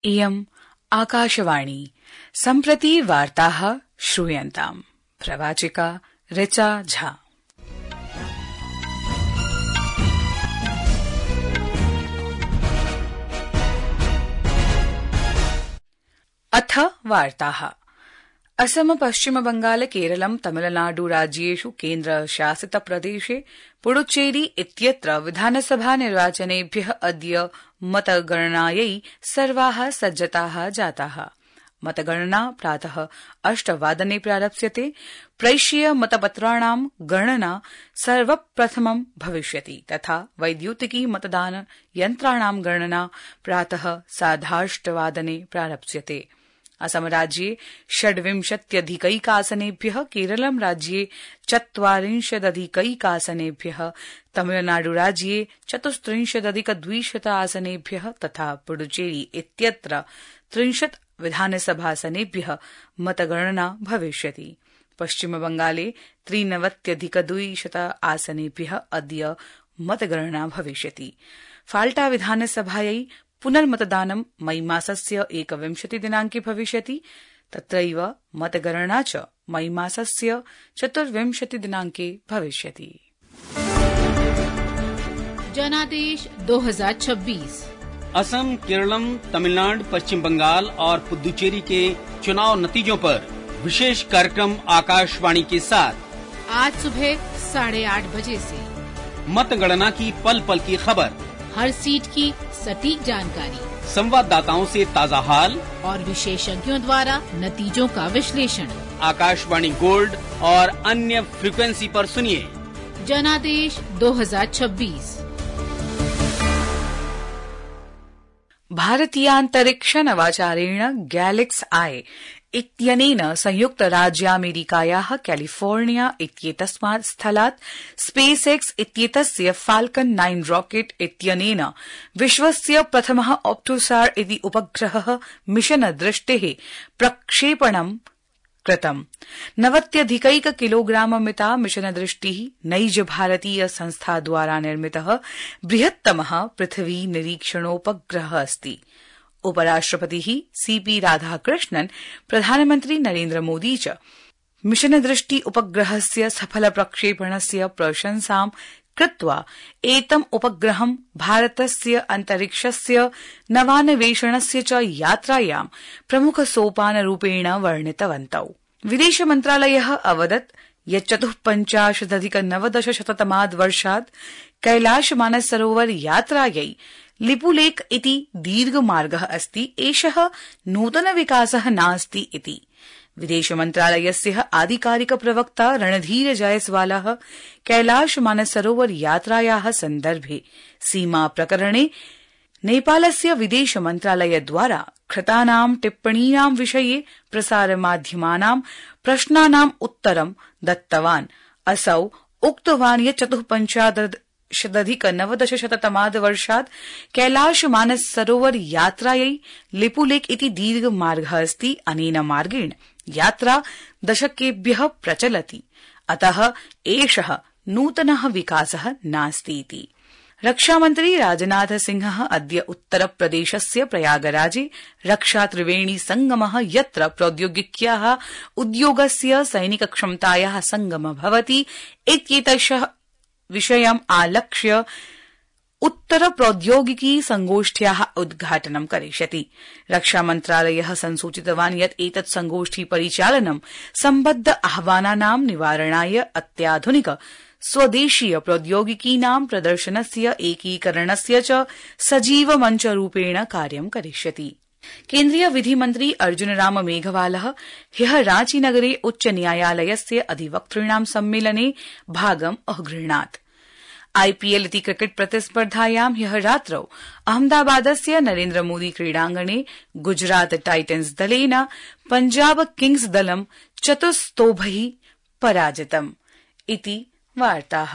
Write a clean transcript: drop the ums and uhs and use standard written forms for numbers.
इयम् आकाशवाणी। सम्प्रति वार्ताः श्रूयन्ताम्। प्रवाचिका ऋचा झा। अथ वार्ताः। असम, पश्चिम बंगाल, केरलम, तमिलनाडु राज्येषु केन्द्रशासित प्रदेशे पुडुचेरी इत्यत्र विधानसभा निर्वाचनेभ्यः अद्य मतगणनायै सर्वाः सज्जताः जाताः। मतगणना प्रातः 8 वादने प्रारप्स्यते। प्रैष्यीय मतपत्राणां गणना सर्वप्रथमं भविष्यति तथा वैद्युतिकी मतदान यन्त्राणां गणना प्रातः 8:30 वादने प्रारप्स्यते। असम राज्ये 26+ केरलम राज्ये 24+ तमिलनाडु राज्ये 34+ तथा पुडुचेरी इत्यत्र 30 विधानसभासनेभ्यः मतगणना भविष्यति। पश्चिम बंगाले 93+ अद्य मतगणना भविष्यति। फाल्टा विधानसभायै पुनर्मतदानं मई मासस्य 21 दिनांके भविष्यति। तत्रैव मतगणना च मई मासस्य 24 दिनांके भविष्यति। जनादेश 2026। असम, केरलम, तमिलनाडु, पश्चिम बंगाल और पुदुचेरी के चुनाव नतीजों पर विशेष कार्यक्रम आकाशवाणी के साथ आज सुबह 8:30 बजे से मतगणना की पल पल की खबर, हर सीट की सटीक जानकारी, संवाददाताओं से ताजा हाल और विशेषज्ञों द्वारा नतीजों का विश्लेषण आकाशवाणी गोल्ड और अन्य फ्रीक्वेंसी पर सुनिए। जनादेश 2026। भारतीयान्तरिक्ष नवाचारेण गैलेक्स आई इत्यनेन संयुक्त राज्यामेरिकायाः कैलिफोर्निया इत्येतस्मात् स्थलात् स्पेस एक्स इत्येतस्य फाल्कन 9 रॉकेट इत्यनेन विश्वस्य प्रथमः ऑप्टोसार इति उपग्रहः मिशन दृष्टेः प्रक्षेपणं कृतम्। 90 किलोग्राममिता मिशन दृष्टिः नैज भारतीय संस्था द्वारा निर्मितः बृहत्तमः पृथ्वी निरीक्षणोपग्रहः अस्ति। उपराष्ट्रपतिः सीपी राधाकृष्णन्, प्रधानमन्त्री नरेन्द्र मोदी च मिशन दृष्टि उपग्रहस्य सफल प्रक्षेपणस्य प्रशंसां कृत्वा एतम् उपग्रहं भारतस्य अन्तरिक्षस्य नवान्वेषणस्य च यात्रायां प्रमुखसोपानरूपेण वर्णितवन्तौ। विदेश मन्त्रालयः अवदत् यत् 54,1990 वर्षात् कैलाश मानसरोवर यात्रायै लिपुलेख इति दीर्घमार्गः अस्ति। एषः नूतन विकासः नास्ति इति विदेश मन्त्रालयस्य आधिकारिक प्रवक्ता रणधीर जयसवालः कैलाश मानसरोवर यात्रायाः सन्दर्भे सीमा प्रकरणे नेपालस्य विदेश मन्त्रालयद्वारा कृतानां टिप्पणीनां विषये प्रसारमाध्यमानां प्रश्नानाम् उत्तरं दत्तवान्। असौ उक्तवान् यत् 54,1990 वर्षात् कैलाश मानस सरोवर यात्रायै लिपुलेख इति दीर्घमार्गः अस्ति। अनेन मार्गेण यात्रा दशकेभ्यः प्रचलति, अतः एषः नूतनः विकासः नास्तीति। रक्षामन्त्री राजनाथ सिंहः अद्य उत्तरप्रदेशस्य प्रयागराजे रक्षा त्रिवेणी संगमः, यत्र प्रौद्योगिक्याः उद्योगस्य सैनिकक्षमतायाः संगमः भवति इत्येतस्य विषयम् आलक्ष्य उत्तर प्रौद्योगिकी संगोष्ठ्याः उद्घाटनं करिष्यति। रक्षामन्त्रालयः संसूचितवान् यत् एतत् संगोष्ठी परिचालनं सम्बद्ध आह्वानानां निवारणाय अत्याधुनिक स्वदेशीय प्रौद्योगिकीनां प्रदर्शनस्य एकीकरणस्य च सजीव मञ्चरूपेण कार्यं करिष्यति। केन्द्रीय विधिमन्त्री अर्जुनराम मेघवालः ह्यः रांचीनगरे उच्चन्यायालयस्य अधिवक्तॄणां सम्मेलने भागम् अगृह्णात्। आईपीएल इति क्रिकेट प्रतिस्पर्धायां ह्यः रात्रौ अहमदाबादस्य नरेन्द्र मोदी क्रीडाङ्गणे गुजरात टाइटन्स दलेन पंजाब किंग्स दलं 4 स्तोभैः पराजितम् इति वार्ताः।